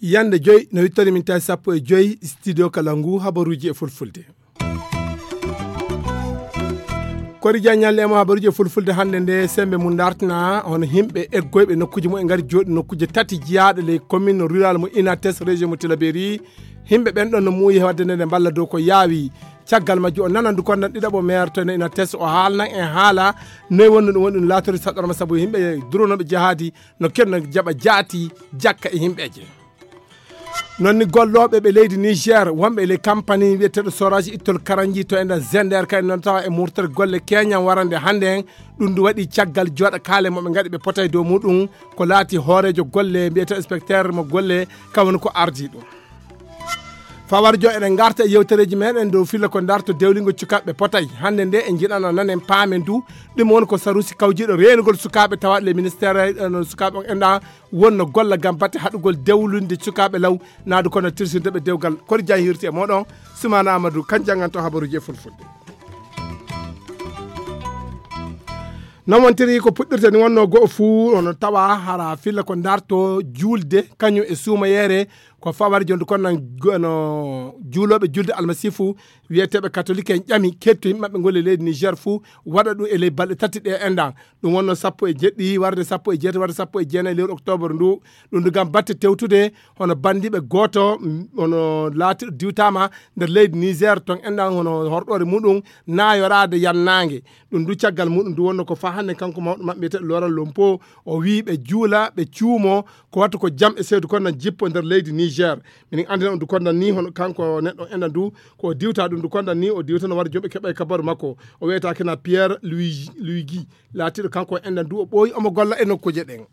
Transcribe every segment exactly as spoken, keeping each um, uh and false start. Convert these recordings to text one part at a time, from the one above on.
Yande joyi no wittori min tawi sappo e joyi studio kala ngu habaruji e fulfulde. Kori Diagne ñalle mo habaruji e fulfulde hannde nde sembe mum dartina hono himɓe eggoyɓe nokkuji mum e ngari jooɗi nokkuji tati jiyaaɗo ley commune rural mo Inates région mo Tilaberi. Himɓe ɓen ɗon no muuyi e wadde nde nde mballa dow ko yaawi. Caggal majju o nanan du kondan ɗiɗaɓo maire to ene Inates o haalnan en haala noy wonno ɗum woni ɗum laatori saɗɗorma sabu yimɓe duronooɓe jahaadi no kenno jaɓa jaati jakka e yimɓeeje. Non ni gollooɓe ɓe leydi Niger wonɓe e ley campagne wiyeteeɗo soraji ittol karanji to enden Zender kay non tawa e murtere golle keñan warande hannde en. Ɗum ndu waɗi caggal jooɗa kaale mo ɓe ngaɗi ɓe potay dow muɗum ko laati hooreejo golle mbiyeteeɗo inspecteur mo golle kawoni ko ardi ɗum. Fawar jo eɗen ngarta e yewtereeji meɗen dow filla ko darto dewlingol cukaɓe potay hannde nde e jiɗano nanen paamen du. Ɗum woni ko sarusi kawjiɗo reenugol sukaaɓe tawaɗo le ministére no sukaaɓe on enɗa wonno golla gam batte haɗugol dewlinde sukaaɓe law naadu kono tirsinde ɓe dewgal kori jahirti e moɗon. Sumana amadou kan janganto habaruji e fulfulde. Non wontiri ko puɗɗirta ni wonno go'o fuu ono tawa hara filla ko darto juulde kañum e suumayeere ko fawari jonde kon nan no juulooɓe julde almasifu wiyeteeɓe katolik en ƴami ketto yimɓe maɓɓe ngol e leydi niger fuu waɗa ɗum e ley balɗe tati ɗe enɗan. Ɗum wonno sappo e jeɗɗi warde sappo e jeetati warde sappo e jeenayi lewru octobre ndu. Ɗum ndu gam batte tewtude hono banndiiɓe gooto hono laatiɗo diwtaama nder leydi niger ton enɗan hono horɗoore muɗum naayoraade yannaange. Ɗum ndu caggal muɗum ndu wonno ko faa hannde kanko mawɗo maɓɓe wiyetee loral lompo o wii ɓe juula ɓe cuumo ko wattu ko jam e seedu kon nan jippo nder leydi niger. Minin anndina on du kondan ni hono kanko neɗɗo enɗan ndu ko o diwta ɗum ndu kondan ni o diwta no wara jomɓe keɓa e kabaru makko. O wiyetee kena pierre luigi luigi laatiiɗo kanko enɗan ndu o ɓooyi omo golla e nokkuuje ɗen.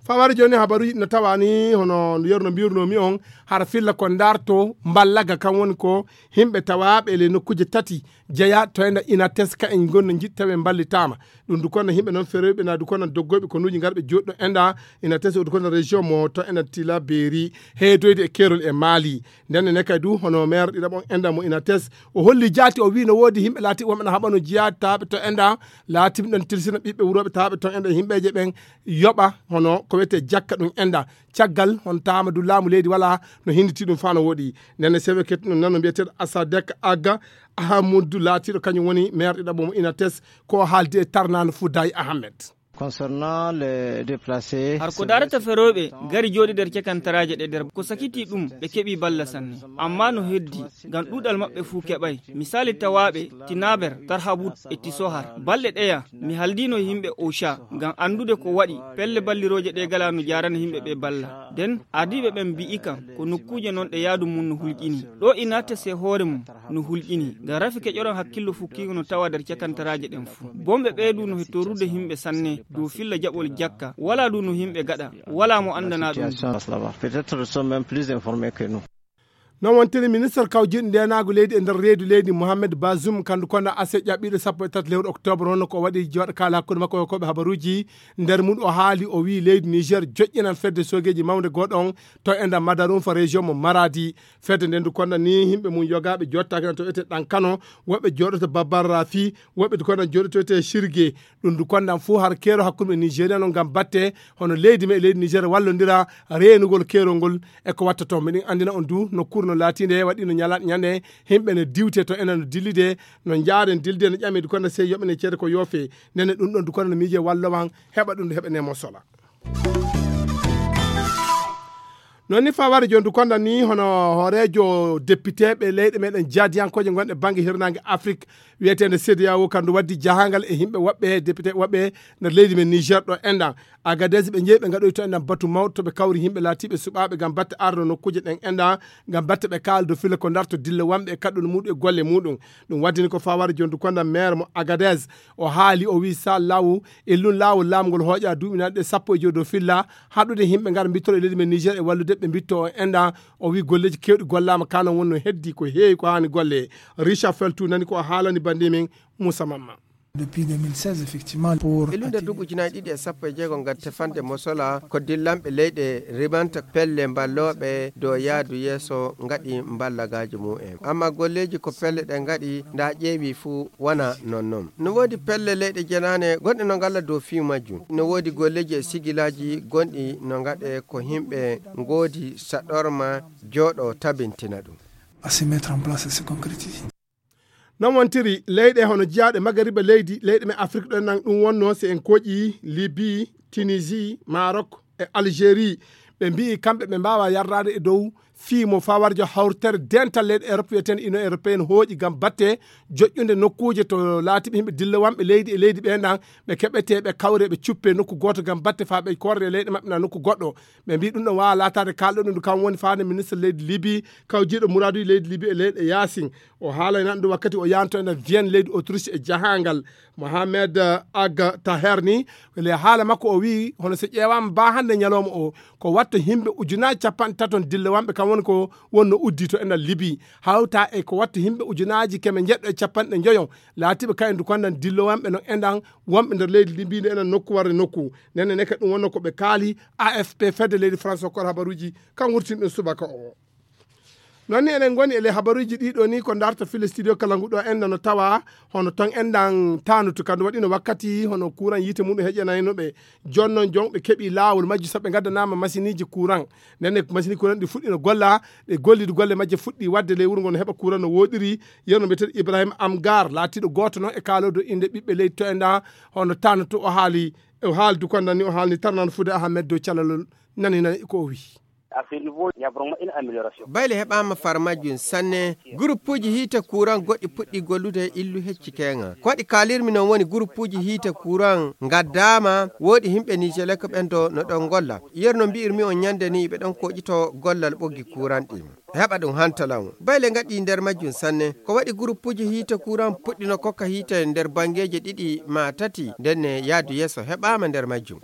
Fawari jooni habaruji no tawani hono yeru no mbirnomi on hara filla ko darto mballaga kan woni ko himɓe tawaɓe le nokkuuje tati jeya to enda ina teska en gonno jiɗtaɓe mballitama. Ɗum du kono himɓe noon feroyɓe na du kono doggoyɓe konuji garɓe joɗɗo enda ina tesa du kono région mo to enda tila beeri heedoyde e kerol e maali. Nden ne kadi du hono maire ɗiɗaɓon enda mo ina tes o holli jaati o wi no woodi himɓe laati wonɓe na haɓano jiyataɓe to enda laatiɓe ɗon tilsina ɓiɓɓe wuroɓe taɓe ton enda himɓeje ɓen yoɓa hono ko wiyetee jakka ɗum enda. Caggal hono taama du laamu leydi wala no hinditi ɗum faa no woɗi. Ndenne sewe kettuɗo nano mbiyeteeɗo asadek aga ahamuddu laatiiɗo kañum woni maire ɗiɗaɓo mo inates ko haaldi e tarnano fuddayi ahammed. Concernant les déplacés har ko darata ferooɓe gari jooɗi nder cakantaraaje ɗe nder ko sakiti ɗum ɓe keɓi balla sanne. Amma no heddi ngam ɗuuɗal maɓɓe fuu keɓay. Misali tawaaɓe tinaber tarhabut e tisohar balɗe ɗeya mi haldiino yimɓe osha ngam anndude ko waɗi pelle ballirooje ɗe gala no jaarana yimɓe ɓe balla. Nden ardiiɓe ɓen mbi'i kam ko nokkuuje non ɗe yaadu mum no hulƴini. Ɗo inates e hoore mum no hulƴini ngam rafi keƴoron hakkillo fukkiingo no tawa nder cakantaraaje ɗen fuu. Bomɓe ɓee du no he torrude yimɓe sanne dow filla jaɓol jakka. Walaa du no yimɓe gaɗa. Walaa mo anndanaa ɗum. Peut-être sont même plus informés que nous. Non wontiri ministre kawjiɗo ndenaagu leydi e nder reedu leydi mohammed bazum kandu kono ase ƴaɓɓiiɗo sappo e tati lewru octobre honno ko waɗi jooɗo kaala hakkunde makko e koɓe habaruuji. Nder mum o haali o wii leydi niger joƴƴinan fedde sogeeji mawnde gooɗo on to e nder madarum fo région mo maradi. Fedde nden du konda ni yimɓe mum yogaaɓe jottaaki nan to wiyetee ɗan kano woɓɓe jooɗoto babbar rafi woɓɓe du konda jooɗoto wiyetee sirge. Ɗum du kondan fuu har keero hakkunde nigéria non ngam batte hono leydi me e leydi niger wallondira reenugol keerol ngol. E ko watta toon miɗen anndina on du nokkuure no laatiinde waɗiino ñalaɗe ñande yimɓe no diwte to enen no dillide no njaaren dilde no ƴame du konda sey yoɓene ceede ko yoofe. Ndenne ɗum ɗon du konda no miije wallowan heɓa ɗum du heɓene mo sola. Non ni faware joni du konda ni hono hooreejo depiteeɓe leyɗe meɗen jaadiyankooje gonɗe bannge hirnaange afrik wiyeteende cediao kandu waddi jahangal e yimɓe woɓɓe député woɓɓe nder leydi men niger ɗo enɗan. Agadez ɓe jeeyi ɓe ngaɗoyi to enɗan batu mawɗo to ɓe kawri yimɓe laatiiɓe suɓaaɓe ngam batte arno nokkuuje ɗen enɗan ngam batte ɓe kaaldo fila ko darto dilla wanɓe e kaɗɗol muɗum e golle muɗum. Ɗum waddini ko faware jondu konda maire mo agadez o haali o wi sa lawu e lun laawol laamgol hooƴa duuɓinanɗe sappo e joyi dow filla haɗude yimɓe ngar mbittoro e leydi men niger e wallude ɓe mbitto o enɗan. O wi golleeji kewɗi gollaama kanon wonno heddi ko heewi ko haani golle. Richard feltu nani ko o haalani bannde men. Moussa mamma. Depuis deux mille seize, effectivement, pour e lunde duuɓi ujunaaji ɗiɗi e sappo e jeego, ngam tefande mosola ko dillanɓe leyɗe rimanta pelle mballooɓe dow yaadu yeeso ngaɗi mballagaaji mumen. Amma golleeji ko pelle ɗe ngaɗi, nda ƴeewi fuu wona non non. No woodi pelle leyɗe jenaane gonɗe no ngalla dow fii majjum. No woodi golleeji e sigilaaji gonɗi no ngaɗe ko himɓe ngoodi saɗorma jooɗo tabintina ɗum. À se mettre en place et se concrétiser. Non wontiri leyɗe hono jiyaaɗe magariba leydi, leyɗe men Afrik ɗo nan ɗum wonno, si en koƴi Libi, Tunisie, Maroc e Algérie. Ɓe mbi'i kamɓe ɓe mbaawa yardaade e dow fii mo fawarjo hawtere dental leyɗe Europe wiyeteende Union Européenne hooƴi ngam batte joƴƴunde nokkuuje to laatiɓe yimɓe dillowamɓe leydi e leydi ɓe nan ɓe keɓete ɓe kawre ɓe cuppe nokku gooto ngam batte faa ɓe korre leyɗe maɓɓe na nokku goɗɗo. Ɓe mbi'i ɗum ɗo waawa laataade kaalɗo ɗum kam woni faande ministre leydi Libi kawjiiɗo muraaduuji leydi Libi e leyɗe yaasin. O haalay nan ɗum wakkati o yahanto enen Vienne leydi Autriche e jahaangal. Mohamed Ag Taher ni, le haala makko o wi'i hono so ƴeewaama ba hannde ñalawma o, ko watta yimɓe ujunaaji capanɗe taton dillowamɓe kam woni ko wonno uddi to enɗan Libi. Hawta e ko watta yimɓe ujunaaji keme njeɗɗo e capanɗe njoyo, laatiiɓe kayen du konnan dillowamɓe no enɗan wonɓe nder leydi Libi nde enɗan nokku warde nokku. Nenne neke ɗum wonno ko ɓe kaali A F P fedde leydi France hokkor habaruuji kan wurtin ɗum subaka o. Non ni eɗen ngoni e ley habaruuji ɗiɗo ni ko darta file studio kala ngu ɗo enɗan no tawa hono ton enɗan tanutu kandu waɗino wakkati hono kuuran yiite mum heƴanayno ɓe. Jooni non jon ɓe keɓi laawol majji sabu ɓe ngaddanaama masiiniiji kuuran. Nden ne masiini kuuran ɗi fuɗɗino golla, ɗe gollidu golle majje fuɗɗi waɗde ley wuro ngon heɓa kuuran no wooɗiri. Yerno mbiyeten Ibrahima Amgar laatiiɗo gooto non e kaaloodo innde ɓiɓɓe leydi to enɗan hono tanutu o haali, o haaldu kon nan ni o haalni tarnan fude Ahmed dow calalol nani nani ko o wi'i. Bayle heɓaama far majjum sanne. Guruppuuji hiite kuuran goɗɗi puɗɗi gollude e illu hecci keeŋa. Ko waɗi kaalirmi non woni guruppuuji hiite kuuran ngaddaama, wooɗi himɓe Nijelek ɓen do no ɗon golla. Yer no mbi'irmi on ñande ni ɓe ɗon koƴito gollal ɓoggi kuuran ɗin. Heɓa ɗum hantalaŋ. Bayle ngaɗi nder majjum sanne. Ko waɗi guruppuuji hiite kuuran puɗɗino kokka hiite nder bangeeje ɗiɗi maa tati, nden ne yaadu yeeso heɓaama nder majjum.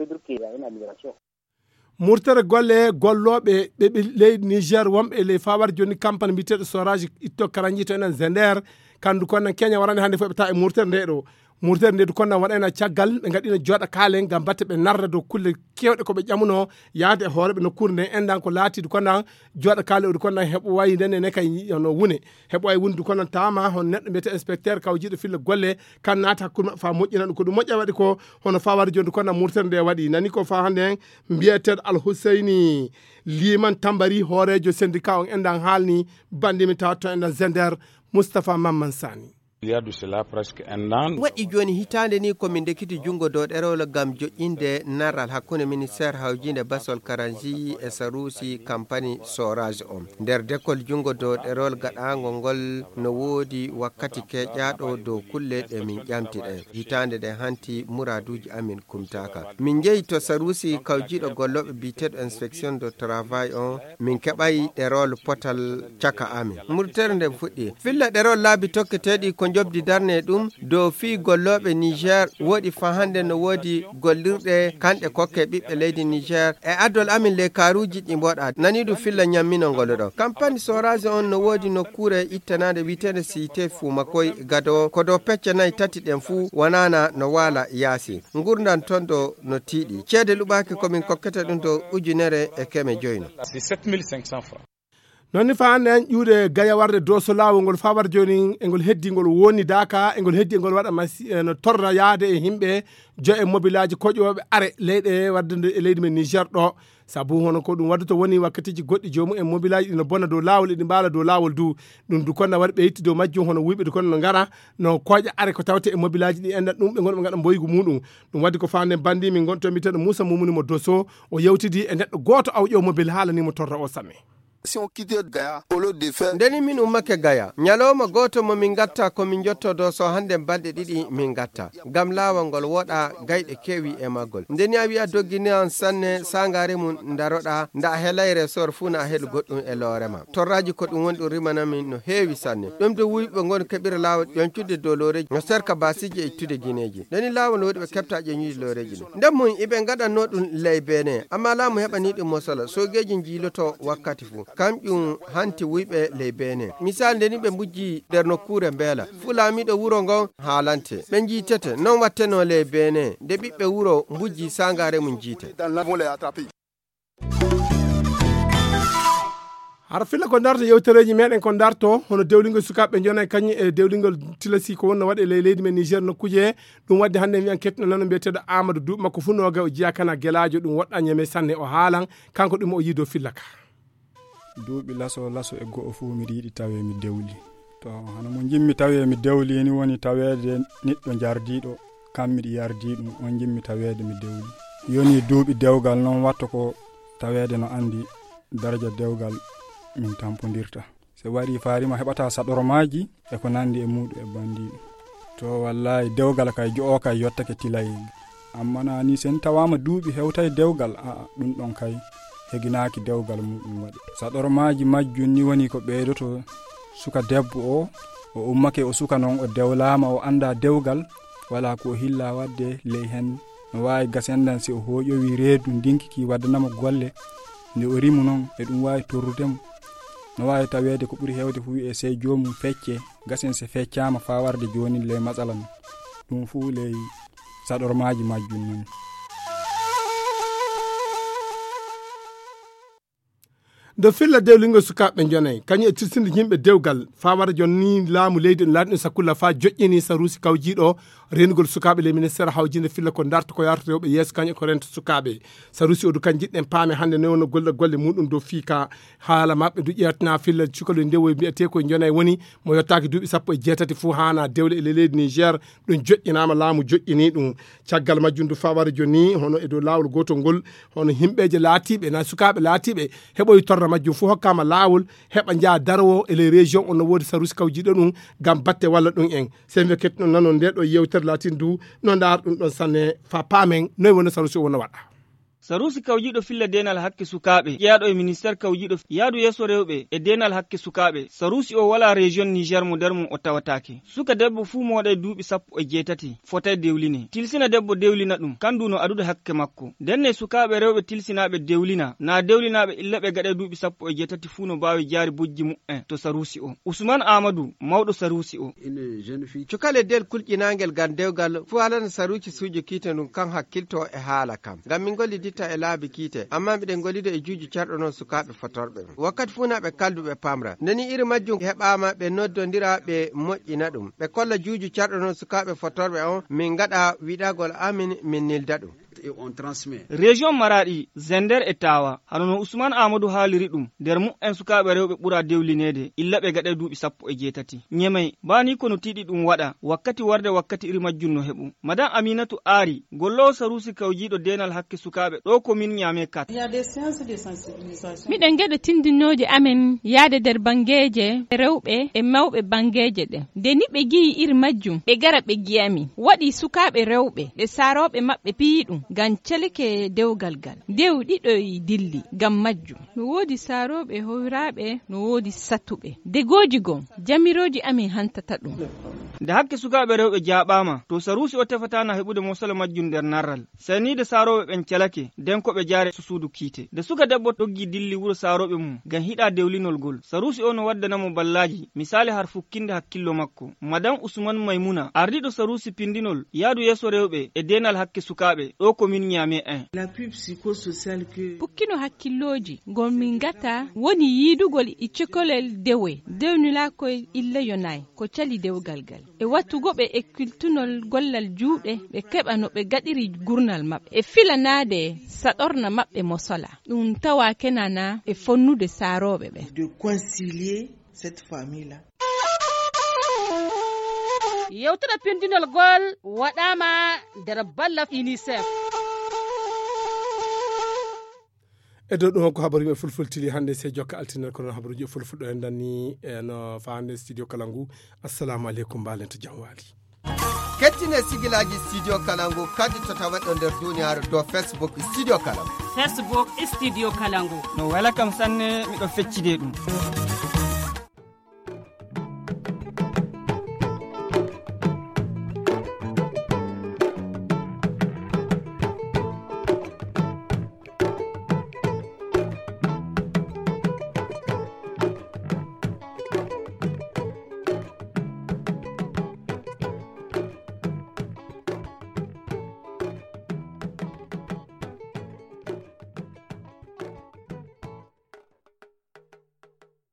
Murtere golle gollooɓe ɓe ɓe leydi Niger wonɓe e ley fawar jooni campagne mbiyeteeɗo Soraji itto karanji to enen Zender. Kandu kon nan Kenya warani hannde fof ɓe tawa e murtere nde ɗo. Murtere nde du kon nan waɗayna caggal ɓe ngaɗino jooɗa kaalen ngam batte ɓe narra dow kulle kewɗe ko ɓe ƴamuno yaade e hooreɓe nokkuure nden enɗan ko laati du kon nan jooɗa kaale o du kon nan heɓo wayi nden ene kay no wune. Heɓo wayi wundu kon nan tama hon neɗɗo mbiyete inspecteur kawjiiɗo filla golle kan naata hakkunde maɓɓe fa moƴƴina ɗum ko ɗum moƴƴa waɗi ko hono fawar jooni du kon nan murtere nde waɗi nani ko fa hannde mbiyeteeɗo Alhuseyni Liman Tambari hooreejo syndicat on enɗan haalni bandimi tawa to enɗan Zender Moustapha Mamman Sani. Il y a de cela presque un an. Waɗi jooni hitaande ni ko min ndekiti junngo dow ɗerewol ngam joƴƴinde narral hakkunde ministeer hawjiinde basol karanji e saruusi kampani Soraji on. Nder dekol junngo dow ɗerewol gaɗaango ngol no woodi wakkati keƴaaɗo dow kulle ɗe min ƴamti ɗen. Hitaande nde hanti muraaduuji amin kumtaaka. Min njehi to saruusi kawjiiɗo gollooɓe biyeteeɗo inspection de travail on, min keɓay ɗerol potal caka amin. Murtere nden fuɗɗi. Filla ɗerol laabi tokketeeɗi ko njobdi darne ɗum dow fii gollooɓe Niger woɗi fa hannde no woodi gollirɗe kanɗe kokke ɓiɓɓe leydi Niger e adol amin ley kaaruuji ɗi mboɗa. Nani ɗum filla ñammino ngol ɗo. Kampani Soraji on no woodi nokkuure ittanaande wiyeteende Site Fumakoy Gado ko dow pecce nayi tati ɗen fuu wonana no waala yaasi. Ngurndan ton ɗo no tiiɗi. Ceede luɓaaki ko min kokkete ɗum to ujunere e keme joyno. C'est sept mille cinq cents francs. Non ni fa hannde en ƴuuɗe gaya warde doso laawol ngol fa war jooni e ngol heddi ngol woni daaka e ngol heddi e ngol waɗa masi e no torra yaade e yimɓe jo e mobilaaji koƴooɓe are leyɗe wadde nde e leydi men Niger ɗo. Sabu hono ko ɗum waɗata woni wakkatiiji goɗɗi joomum en mobilaaji ɗi no bona dow laawol e ɗi mbaala dow laawol du. Ɗum du konna waɗi ɓe yetti dow majjum hono wuyɓe du kono no ngara no koƴa are ko tawte e mobilaaji ɗi enɗan ɗum ɓe ngonɓe ngaɗa mboygu muɗum. Ɗum waɗi ko faande bandi min gonto mbiteɗo Moussa Moumouni mo Dosso o yewtidi e neɗɗo gooto awƴo mobil haalani mo torra o samme. Si on quittait Gaïa, au lieu de faire ndeni min ummake Gaya ñalawma gooto mo min ngatta ko min njotto Dosso hannde balɗe ɗiɗi min ngatta ngam laawol ngol woɗa gayɗe keewi e maggol. Ndeni a wi'a doggini an sanne sangaare mum ndaroɗa nda a helay resor fuu na a helu goɗɗum e loore ma. Torraaji ko ɗum woni ɗum rimanamin no heewi sanne. Ɗum de wuyɓe ngoni keɓira laawol ƴoñcude dow looreeji no serka baasiiji e ittude gineeji. Ndeni laawol no waɗi ɓe keɓta ƴoñude looreeji ɗin. Nden mum iɓe ngaɗanno ɗum ley Benin, amma laamu heɓani ɗum mosala. Soogeeji njiiloto wakkati fuu. Kamƴum hanti wuyɓe ley Benin. Misal, nde ni ɓe mbujji nder nokkuure Mbeela, fuu laamiiɗo wuro ngon haalante. Ɓe njiitete. Non wattenoo ley Benin, nde ɓiɓɓe wuro mbujji saangaare mum njiite. Hara filla ko darto yewtereeji meɗen, ko darto hono dewlingol sukaaɓe jonay kañum e dewlingol tilasi ko wonno waɗe ley leydi men Niger nokkuuje. Ɗum waɗde hannde mi an ketno nano mbiyeteeɗo Amadou Duuɓi, makko fuu nooga o jeyaa kana gelaajo, ɗum woɗɗa ñeme sanne o haalan kanko ɗum o yiido filla ka. Duuɓi laso laso e go'o fuu miɗo yiɗi tawee mi dewli. To, hano mo njimmi tawee mi dewli ni woni taweede neɗɗo jardiiɗo, kam miɗo yardii ɗum, on njimmi taweede mi dewli. Yoni duuɓi dewgal non watto ko taweede no anndi daraja dewgal min tampondirta. Se wari faarima heɓata saɗormaaji e ko nanndi e muuɗum e banndiiɗum. To, wallaahi, dewgal kay jo'o kay yottake tilayel. Amma na ni sen tawaama duuɓi hewtay dewgal, a'a, ɗum ɗon kay heginaaki dewgal muuɗum waɗi. Saɗormaaji majjum ni woni ko ɓeydoto suka debbo o, o ummake o suka non o dewlaama o annda dewgal, wala ko o hilla waɗde ley hen. No waawi gasendan si o hooƴowi reedu ndinki ki waddanamo golle, nde o rimu non e ɗum waawi torrude mo. No waawi taweede ko ɓuri heewde ko wi'e sey joomum fecce, gasen se feccaama faa warde joonin ley matsala non. Ɗum fuu ley saɗormaaji majjum non. Ndo filla dewlingol sukaaɓe jonay, kañum e tirsinde yimɓe dewgal, faa wara jonni laamu leydi no laatino sakulla faa joƴƴini saruusi kawjiiɗo reenugol sukaaɓe ley ministeer hawjinde filla ko darto ko yarata rewɓe yeeso kañum e ko renta sukaaɓe. Saruusi o du kan jiɗɗen paame hannde ne wonno golle golle muɗum dow fii ka haala maɓɓe du ƴeewtina filla cukalel ndewoy mbiyetee ko jonay woni mo yottaaki duuɓi sappo e jeetati fuu haana dewle e ley leydi Niger. Ɗum joƴƴinaama, laamu joƴƴinii ɗum. Caggal majjum du faa wara jonni hono e dow laawol gootol ngol, hono himɓeeje laatiiɓe na sukaaɓe laatiiɓe heɓoyi torra majjum fuu hokkaama laawol heɓa njaha daroo e ley région on no woodi saruusi kawjiiɗo ɗum ngam batte walla ɗum en. Sey mbe kettuno nanon nde ɗo yewtere laatin du no ndaar ɗum ɗon sanne faa paamen noy woni saruusi o wonno waɗa. Saruusi kawjiiɗo filla deenal hakke sukaaɓe ƴeyaɗo e ministeer kawjiiɗo yaadu yeeso rewɓe e deenal hakke sukaaɓe. Saruusi o walaa région Niger mo nder mum o tawataake. Suka debbo fuu mooɗay duuɓi sappo e jeetati fotay dewline. Tilsina debbo dewlina ɗum, kan du no adude hakke makko. Ndenne sukaaɓe rewɓe tilsinaaɓe dewlina, na dewlinaaɓe illa ɓe gaɗay duuɓi sappo e jeetati fuu no baawi jaari bojji mu'en to saruusi o. Usman Aamadu, mawɗo saruusi o. Cukale del kulƴinaangel ngam dewgal fuu halana saruusi suujo kiite ndun kan hakkilto e haala kam. Ngam min ngolliditta e laabi kiite, amma miɗen ngollido e juuju carɗo non sukaaɓe fotorɓe. Wakkati fuu na ɓe kaldu ɓe pamra. Nde ni iri majjum heɓaama ɓe noddondira ɓe moƴƴina ɗum. Ɓe kolla juuju carɗo non sukaaɓe fotorɓe on, min ngaɗa wiɗagol amin, min nilda ɗum. Région Maraɗi, Zender e Tawa, hano no Usman Amadou haaliri ɗum, nder mu'en sukaaɓe rewɓe ɓura dewlineede, illa ɓe gaɗay duuɓi sappo e jeetati. Ñemey, baa ni ko no tiiɗi ɗum waɗa, wakkati warde wakkati iri majjum no heɓu. Madame Aminatu Aari, golloowo saruusi kawjiiɗo deenal hakke sukaaɓe, ɗo ko min ñaame kat. Miɗen gaɗa tindinooje amen yaade nder banngeeje rewɓe e mawɓe banngeeje ɗen. Nde ni ɓe ngi'i iri majjum, ɓe gara ɓe ngi'a min. Waɗi sukaaɓe rewɓe, ɓe saarooɓe maɓɓe piyi ɗum, ngam celike dewgal ngal. Ndew ɗiɗoy dilli ngam majjum. No woodi saarooɓe hoyraaɓe, no woodi satuɓe. Degooji gom, jamirooji amin hantata ɗum. Nde hakke sukaaɓe rewɓe jaaɓaama, to saruusi o tefataana heɓude mosala majjum nder narral. Seniide saarooɓe ɓen calake, nden ko ɓe jaare suudu kiite. Nde suka debbo doggi dilli wuro saarooɓe mum, ngam hiɗa dewlinol ngol, saruusi o no waddana mo ballaaji, misaali har fukkinde hakkillo makko. Madame Usman Maymuna, ardiiɗo saruusi pindinol, yaadu yeeso rewɓe e deenal hakke sukaaɓe, ɗo ko min ñaame en. Pukkino hakkillooji, ngol min ngata woni yiidugol e cekolel dewe, dewnilaakoy illa yonay, ko cali dewgal ngal. E wattugo ɓe e kiltunol gollal juuɗe, ɓe keɓa no ɓe gaɗiri gurnal maɓɓe. E filanaade saɗorna maɓɓe mo sola. Ɗum tawa kenana e fonnude saarooɓe ɓe. De concilier cette famille-là. Yewtere pindinol gol waɗaama nder balla UNICEF. E dow ɗum, ko habaru yimɓe fulfultiri hannde, sey jokka altine, kono habaruuji fulfulɗo en danni, e no fa hannde studio kala ngu. Assalamu aleykum, mbaalen to jam waali. Kettine sigilaaji studio kala ngu, kaddi to taweɗo nder duniyaaru dow Facebook studio kala ngu. Facebook studio kala ngu. No wela kam sanne, miɗo feccide ɗum.